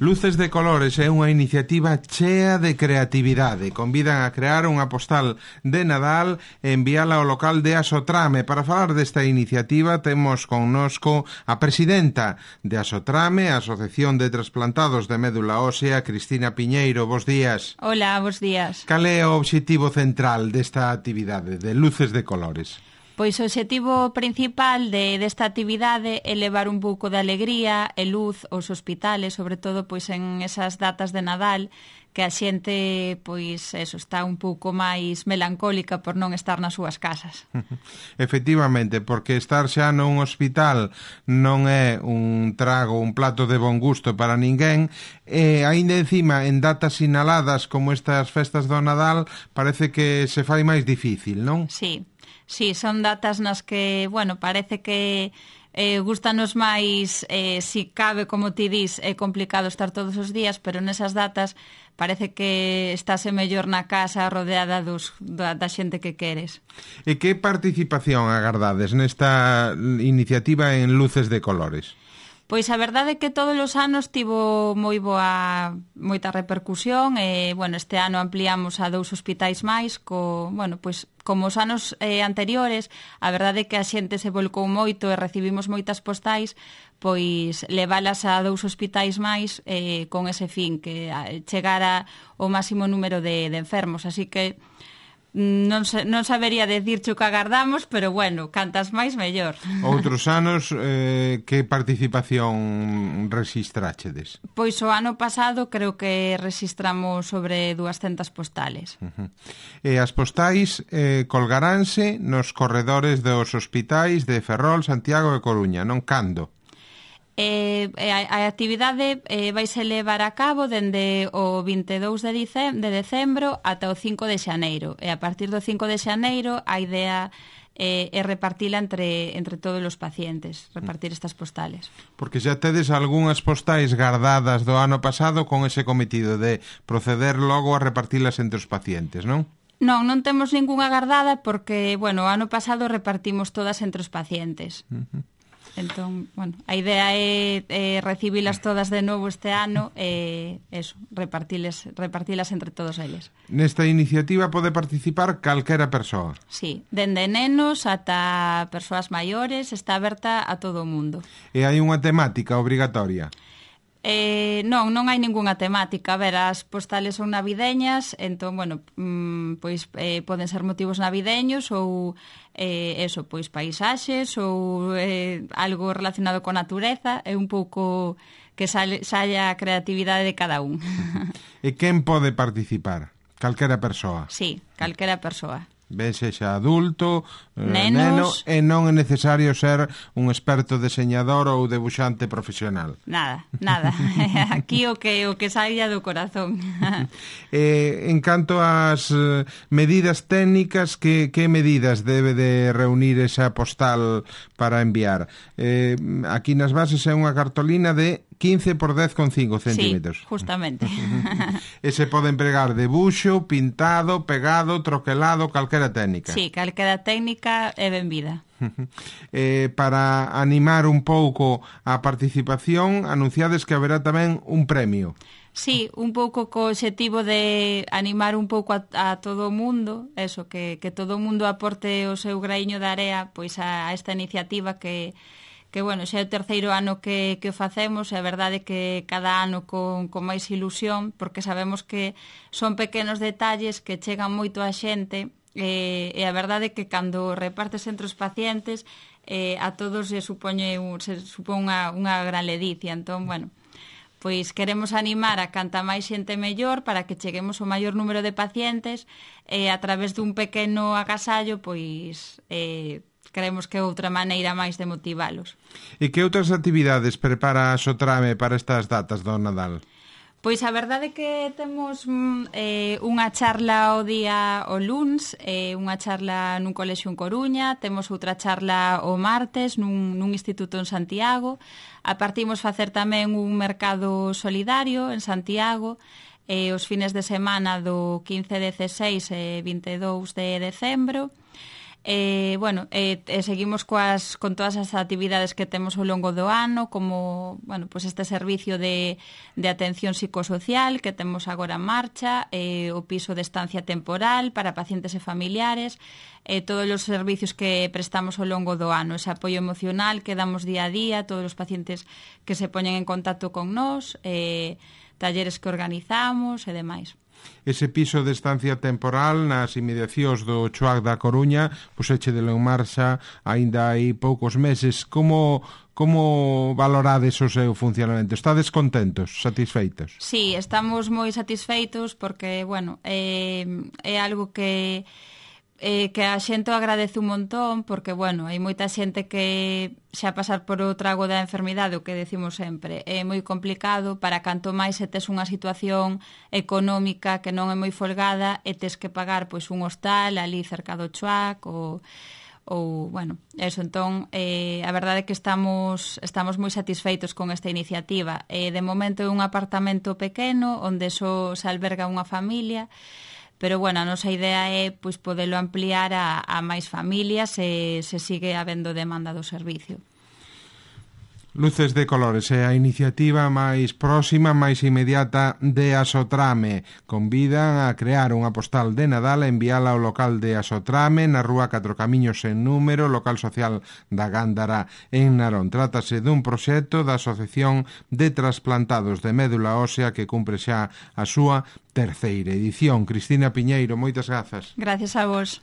Luces de Colores é unha iniciativa chea de creatividade. Convidan a crear unha postal de Nadal e enviala ao local de Asotrame. Para falar desta iniciativa temos connosco a presidenta de Asotrame, a Asociación de Trasplantados de Médula Ósea, Cristina Piñeiro. Bos días. Hola, bos días. Cal é o obxectivo central desta actividade de Luces de Colores? Pois o obxectivo principal desta actividade é levar un pouco de alegría e luz aos hospitales, sobre todo pois en esas datas de Nadal, que a xente pois eso está un pouco máis melancólica por non estar nas súas casas. Efectivamente, porque estar xa nun hospital non é un trago, un plato de bon gusto para ninguén, e aínda encima en datas sinaladas como estas festas do Nadal parece que se fai máis difícil, non? Sí, son datas nas que, bueno, parece que gustanos máis, si cabe, como ti dis, é complicado estar todos os días, pero nesas datas parece que estás mellor na casa rodeada da xente que queres. E que participación agardades nesta iniciativa en Luces de Colores? Pois a verdade é que todos os anos tivo moita repercusión e, bueno, este ano ampliamos a 2 hospitais máis pois como os anos anteriores, a verdade é que a xente se volcou moito e recibimos moitas postais, pois leválas a 2 hospitais máis con ese fin, que chegara o máximo número de enfermos, así que non sabería decirche o que agardamos, pero bueno, cantas máis mellor. Outros anos, que participación rexistrachedes? Pois o ano pasado creo que rexistramos sobre 200 postales. E as postais colgaránse nos corredores dos hospitais de Ferrol, Santiago e Coruña, non? Cando? A actividade vaise levar a cabo dende o 22 de decembro ata o 5 de xaneiro, e a partir do 5 de xaneiro a idea é repartila entre todos os pacientes, repartir estas postales. Porque xa tedes algunhas postais guardadas do ano pasado con ese cometido de proceder logo a repartilas entre os pacientes, non? Non temos ningunha guardada porque, bueno, o ano pasado repartimos todas entre os pacientes. Entón, bueno, a idea é recibilas todas de novo este ano e repartilas entre todos eles. Nesta iniciativa pode participar calquera persoa? Sí, dende nenos ata persoas maiores, está aberta a todo o mundo. E hai unha temática obrigatoria? Non hai ningunha temática. A ver, as postales son navideñas, entón, bueno, pois poden ser motivos navideños ou pois paisaxes ou algo relacionado con natureza, é un pouco que saia a creatividade de cada un. E quen pode participar? Calquera persoa? Sí, calquera persoa. Ben sexa adulto, neno, e non é necesario ser un experto deseñador ou debuxante profesional. Nada. Aquí o que saia do corazón. En canto ás medidas técnicas, que medidas debe de reunir esa postal para enviar? Aquí nas bases é unha cartolina de 15 por 10,5 centímetros. Sí, justamente. E se pode empregar debuxo, pintado, pegado, troquelado, calquera técnica. Sí, calquera técnica é benvida. Para animar un pouco a participación, anunciades que haberá tamén un premio. Sí, un pouco co obxectivo de animar un pouco a todo o mundo, eso, que todo o mundo aporte o seu graíño de area pois a esta iniciativa que bueno, xa é o terceiro ano que o facemos, e a verdade é que cada ano con máis ilusión, porque sabemos que son pequenos detalles que chegan moito a xente, e a verdade é que cando repartes entre os pacientes a todos se supón unha gran ledicia. Entón, bueno, pois queremos animar a canta máis xente mellor para que cheguemos ao maior número de pacientes e a través dun pequeno agasallo pois creemos que é outra maneira máis de motivalos. E que outras actividades prepara a Asotrame para estas datas do Nadal? Pois a verdade é que temos unha charla o luns, unha charla nun colexio en Coruña, temos outra charla o martes nun instituto en Santiago, apartimos facer tamén un mercado solidario en Santiago, os fines de semana do 15, 16 e 22 de decembro, Seguimos con todas as actividades que temos ao longo do ano, como este servicio de atención psicosocial que temos agora en marcha, o piso de estancia temporal para pacientes e familiares, todos os servicios que prestamos ao longo do ano, ese apoio emocional que damos día a día, todos os pacientes que se poñen en contacto con nós, talleres que organizamos e demais. Ese piso de estancia temporal nas inmediacións do Choac da Coruña, puseche de en marcha aínda hai poucos meses. Como valorades o seu funcionamento? Estades contentos, satisfeitos? Sí, estamos moi satisfeitos porque, é algo que a xente o agradece un montón porque, hai moita xente que xa pasar por o trago da enfermidade, o que decimos sempre, é moi complicado para canto máis se tes unha situación económica que non é moi folgada e tes que pagar un hostal ali cerca do Choac eso. Entón, a verdade é que estamos moi satisfeitos con esta iniciativa. De momento é un apartamento pequeno onde só se alberga unha familia, pero, a nosa idea é podelo ampliar a máis familias se sigue habendo demanda do servicio. Luces de Colores é a iniciativa máis próxima, máis inmediata de Asotrame. Convidan a crear unha postal de Nadal e enviala ao local de Asotrame na rúa 4 Camiños en número, local social da Gándara en Narón. Trátase dun proxecto da Asociación de Trasplantados de Médula Ósea que cumpre xa a súa terceira edición. Cristina Piñeiro, moitas grazas. Gracias a vos.